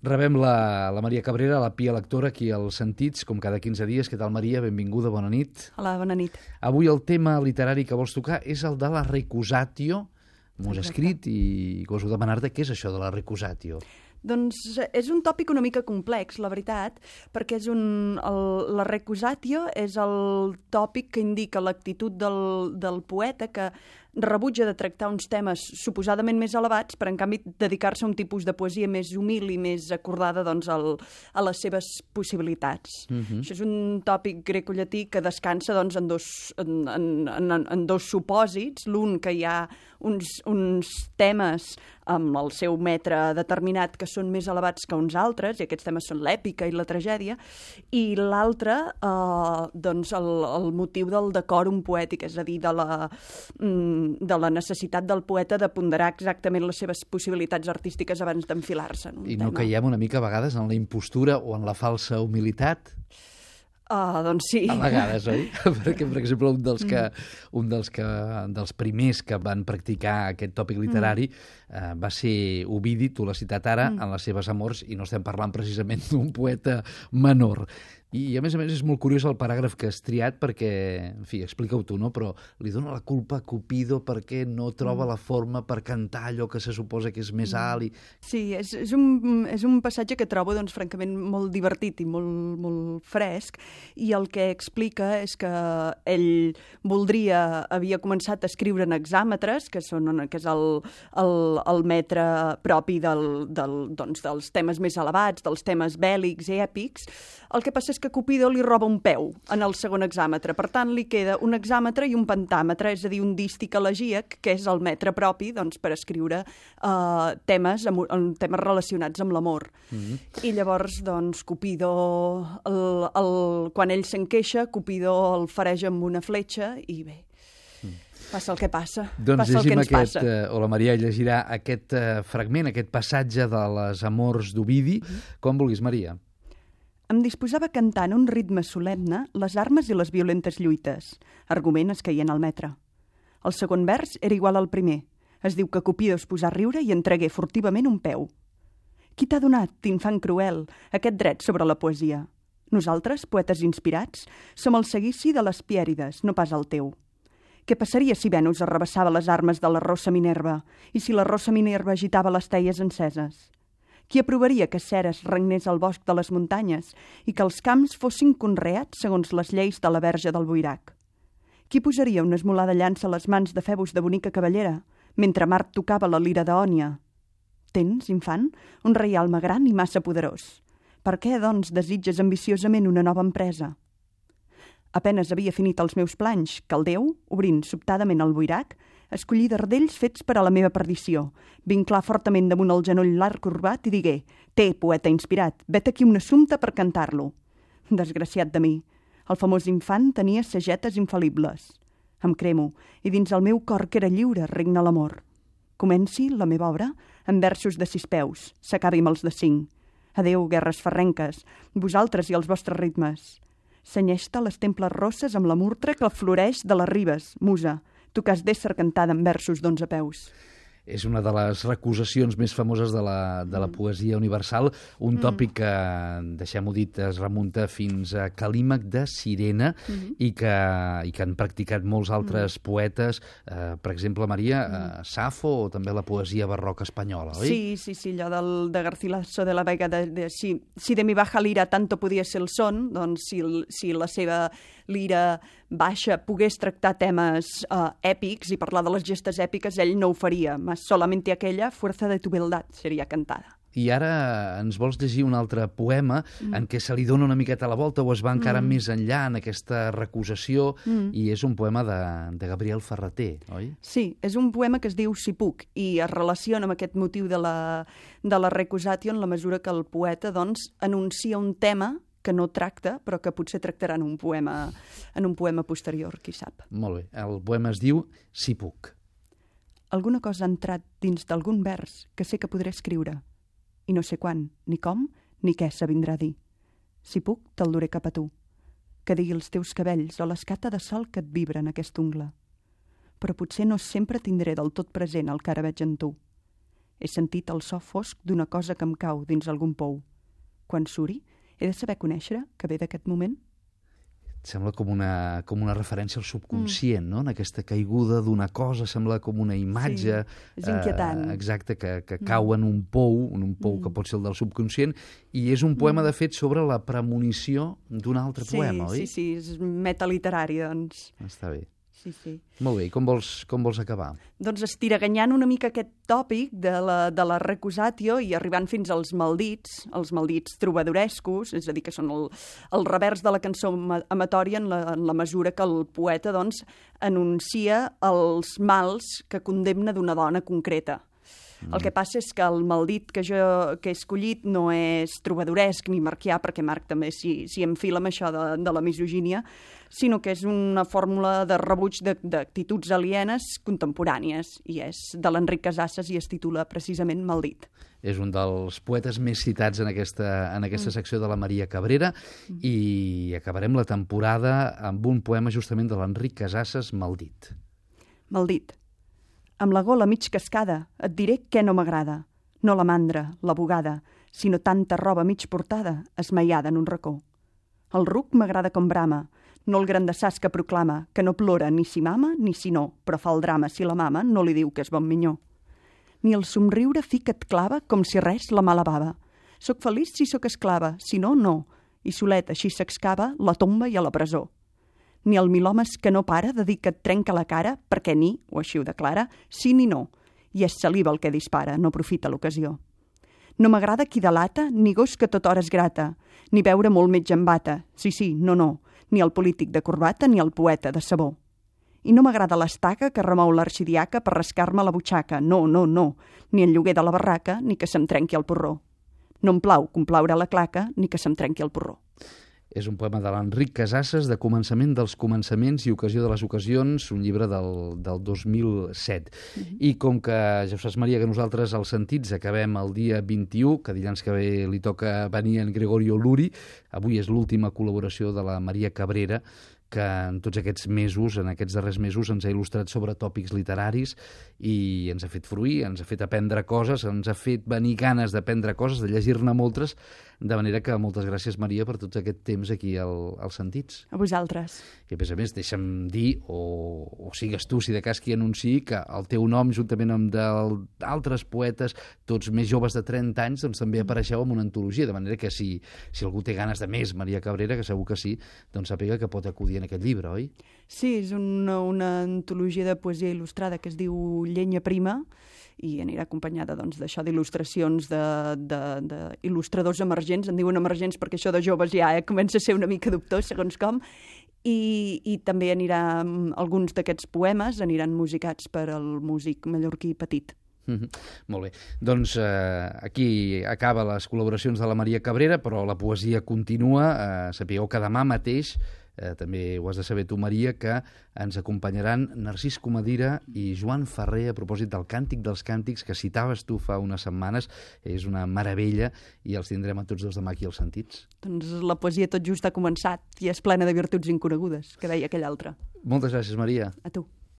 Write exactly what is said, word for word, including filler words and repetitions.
Rebem la, la Maria Cabrera, la Pia lectora, aquí als Sentits, com cada quinze dies. Què tal, Maria? Benvinguda, bona nit. Hola, bona nit. Avui el tema literari que vols tocar és el de la recusatio. M'ho has escrit i goso demanar-te què és això de la recusatio. Doncs és un tòpic una mica complex, la veritat, perquè és un, el, la recusatio és el tòpic que indica l'actitud del, del poeta que rebutja de tractar uns temes suposadament més elevats, però en canvi dedicar-se a un tipus de poesia més humil i més acordada doncs, al, a les seves possibilitats. Uh-huh. Això és un tòpic grecollatí que descansa doncs, en, dos, en, en, en, en dos supòsits. L'un, que hi ha uns, uns temes amb el seu metre determinat que són més elevats que uns altres, i aquests temes són l'èpica i la tragèdia, i l'altre, eh, doncs el, el motiu del decòrum poètic, és a dir, de la, de la necessitat del poeta de ponderar exactament les seves possibilitats artístiques abans d'enfilar-se en un I tema. no caiem una mica a vegades en la impostura o en la falsa humilitat? Uh, doncs sí. A vegades, oi? Perquè, per exemple, un dels que, un dels que dels primers que van practicar aquest tòpic literari mm. uh, va ser Ovidi, tu l'has citat ara, mm. en les seves amors, i no estem parlant precisament d'un poeta menor. I, a més a més, és molt curiós el paràgraf que has triat perquè, en fi, explica-ho tu, no? Però li dona la culpa a Cupido perquè no troba mm. la forma per cantar allò que se suposa que és més mm. alt. I... Sí, és, és, un, és un passatge que trobo, doncs, francament, molt divertit i molt, molt fresc, i el que explica és que ell voldria, havia començat a escriure en hexàmetres, que, són, que és el, el, el metre propi del, del, doncs, dels temes més elevats, dels temes bèl·lics i èpics. El que passa és que Cupido li roba un peu en el segon hexàmetre. Per tant, li queda un hexàmetre i un pentàmetre, és a dir, un dístic elegíac, que és el metre propi doncs, per escriure uh, temes, amb, temes relacionats amb l'amor. Mm-hmm. I llavors, doncs, Cupido, el, el, quan ell se'n queixa, Cupido el fareja amb una fletxa i bé, passa el que passa. Doncs passa el que ens aquest, passa. Uh, o la Maria llegirà aquest uh, fragment, aquest passatge de les amors d'Ovidi. Mm-hmm. Com vulguis, Maria. Em disposava cantant a un ritme solemne les armes i les violentes lluites, argument escaient al metre. El segon vers era igual al primer. Es diu que Cupido es posà a riure i entregué furtivament un peu. Qui t'ha donat, infant cruel, aquest dret sobre la poesia? Nosaltres, poetes inspirats, som el seguici de les Pièrides, no pas el teu. Què passaria si Venus arrabassava les armes de la rossa Minerva i si la rossa Minerva agitava les teies enceses? Qui aprovaria que Ceres regnés al bosc de les muntanyes i que els camps fossin conreats segons les lleis de la Verge del Boirac? Qui posaria una esmolada llança a les mans de Febus de bonica cavallera, mentre Mart tocava la lira d'Ònia? Tens, infant, un reialme gran i massa poderós. Per què, doncs, desitges ambiciosament una nova empresa? Apenes havia finit els meus planys, que el Déu, obrint sobtadament el boirac, escollí dardells fets per a la meva perdició, vinclar fortament damunt el genoll l'arc corbat i digué: «Té, poeta inspirat, vet aquí un assumpte per cantar-lo». Desgraciat de mi, el famós infant tenia sagetes infal·libles. Em cremo, i dins el meu cor que era lliure regna l'amor. Comenci la meva obra en versos de sis peus, s'acabi amb els de cinc. Adéu, guerres ferrenques, vosaltres i els vostres ritmes. Senyeix-te les temples rosses amb la murtra que floreix de les ribes, musa, tu que has d'ésser cantada en versos d'onze peus. És una de les recusacions més famoses de la, de la poesia universal, un tòpic que, deixem-ho dit, es remunta fins a Calímac de Cirene mm-hmm. i, que, i que han practicat molts altres mm. poetes, eh, per exemple, Maria, eh, Safo o també la poesia barroca espanyola, oi? Sí, sí, sí, allò del, de Garcilaso de la Vega, de, de, si, si de mi baja lira tanto podia ser el son, doncs si, si la seva lira baixa pogués tractar temes eh, èpics i parlar de les gestes èpiques, ell no ho faria, solamente aquella fuerza de tu beldad seria cantada. I ara ens vols llegir un altre poema mm. en què se li dona una miqueta la volta o es va encara mm. més enllà en aquesta recusació mm. i és un poema de, de Gabriel Ferrater, oi? Sí, és un poema que es diu Si puc i es relaciona amb aquest motiu de la, de la recusatio en la mesura que el poeta doncs, anuncia un tema que no tracta, però que potser tractarà en un poema, en un poema posterior, qui sap. Molt bé. El poema es diu Si puc. Alguna cosa ha entrat dins d'algun vers que sé que podré escriure, i no sé quan, ni com, ni què s'avindrà a dir. Si puc, te'l duré cap a tu, que digui els teus cabells o l'escata de sol que et vibra en aquest ungle. Però potser no sempre tindré del tot present el que ara veig en tu. He sentit el so fosc d'una cosa que em cau dins algun pou. Quan suri, he de saber conèixer que ve d'aquest moment? Sembla com una, com una referència al subconscient, mm. no? En aquesta caiguda d'una cosa, sembla com una imatge... Sí, és inquietant. Eh, exacte, que, que cau en un pou, en un pou mm. que pot ser el del subconscient, i és un poema, mm. de fet, sobre la premonició d'un altre sí, poema, oi? Sí, sí, és metaliterari, doncs. Està bé. Sí, sí. Molt bé, i com vols, com vols acabar? Doncs estiraganyant una mica aquest tòpic de la, de la recusatio i arribant fins als maldits, els maldits trobadorescos, és a dir, que són el, el revers de la cançó amatòria en la, en la mesura que el poeta doncs, anuncia els mals que condemna d'una dona concreta. Mm. El que passa és que el maldit que jo que he escollit no és trobadoresc ni marquià, perquè Marc també s'hi enfila amb això de, de la misogínia, sinó que és una fórmula de rebuig d'actituds alienes contemporànies, i és de l'Enric Casasses i es titula precisament Maldit. És un dels poetes més citats en aquesta, en aquesta mm. secció de la Maria Cabrera, mm. i acabarem la temporada amb un poema justament de l'Enric Casasses, Maldit. Maldit. Amb la gola mig cascada et diré què no m'agrada. No la mandra, la bugada, sinó tanta roba mig portada, esmaiada en un racó. El ruc m'agrada com brama, no el grandassàs que proclama, que no plora ni si mama ni si no, però fa el drama si la mama no li diu que és bon minyó. Ni el somriure fi que et clava com si res la mala bava. Soc feliç si sóc esclava, si no, no. I solet així s'excava la tomba i a la presó. Ni el milhomes que no para de dir que et trenca la cara, perquè ni, o així ho declara, sí ni no. I és saliva el que dispara, no aprofita l'ocasió. No m'agrada qui delata, ni gos que tot hora es grata, ni veure molt metge en bata, sí, sí, no, no, ni el polític de corbata ni el poeta de sabó. I no m'agrada l'estaca que remou l'arxidiaca per rascar-me la butxaca, no, no, no, ni el lloguer de la barraca, ni que se'm trenqui el porró. No em plau complaure la claca, ni que se'm trenqui el porró. És un poema de l'Enric Casasses, de Començament dels començaments i Ocasió de les ocasions, un llibre del, del dos mil set. Mm-hmm. I com que, ja saps, Maria, que nosaltres als Sentits acabem el dia vint-i-u, que dilluns que ve li toca venir en Gregorio Luri, avui és l'última col·laboració de la Maria Cabrera, que en tots aquests mesos, en aquests darrers mesos, ens ha il·lustrat sobre tòpics literaris i ens ha fet fruir, ens ha fet aprendre coses, ens ha fet venir ganes d'aprendre coses, de llegir-ne moltes, de manera que moltes gràcies, Maria, per tot aquest temps aquí al, als Sentits. A vosaltres. I a més a més, deixa'm dir, o, o sigues tu, si de cas qui anunciï, que el teu nom, juntament amb d'altres poetes, tots més joves de trenta anys, doncs també apareixeu en una antologia, de manera que si, si algú té ganes de més, Maria Cabrera, que segur que sí, doncs sàpiga que pot acudir en aquest llibre, oi? Sí, és una, una antologia de poesia il·lustrada que es diu Llenya Prima i anirà acompanyada doncs, d'això d'il·lustracions d'il·lustradors emergents, en diuen emergents perquè això de joves ja eh, comença a ser una mica dubtós, segons com, i, i també anirà, alguns d'aquests poemes aniran musicats per al músic mallorquí Petit. Mm-hmm. Molt bé. Doncs eh, aquí acaba les col·laboracions de la Maria Cabrera, però la poesia continua. Eh, sapigueu que demà mateix, eh, també ho has de saber tu, Maria, que ens acompanyaran Narcís Comadira i Joan Ferrer a propòsit del Càntic dels Càntics que citaves tu fa unes setmanes. És una meravella i els tindrem a tots dos demà aquí als Sentits. Doncs la poesia tot just ha començat i és plena de virtuts inconegudes, que deia aquell altre. Moltes gràcies, Maria. A tu.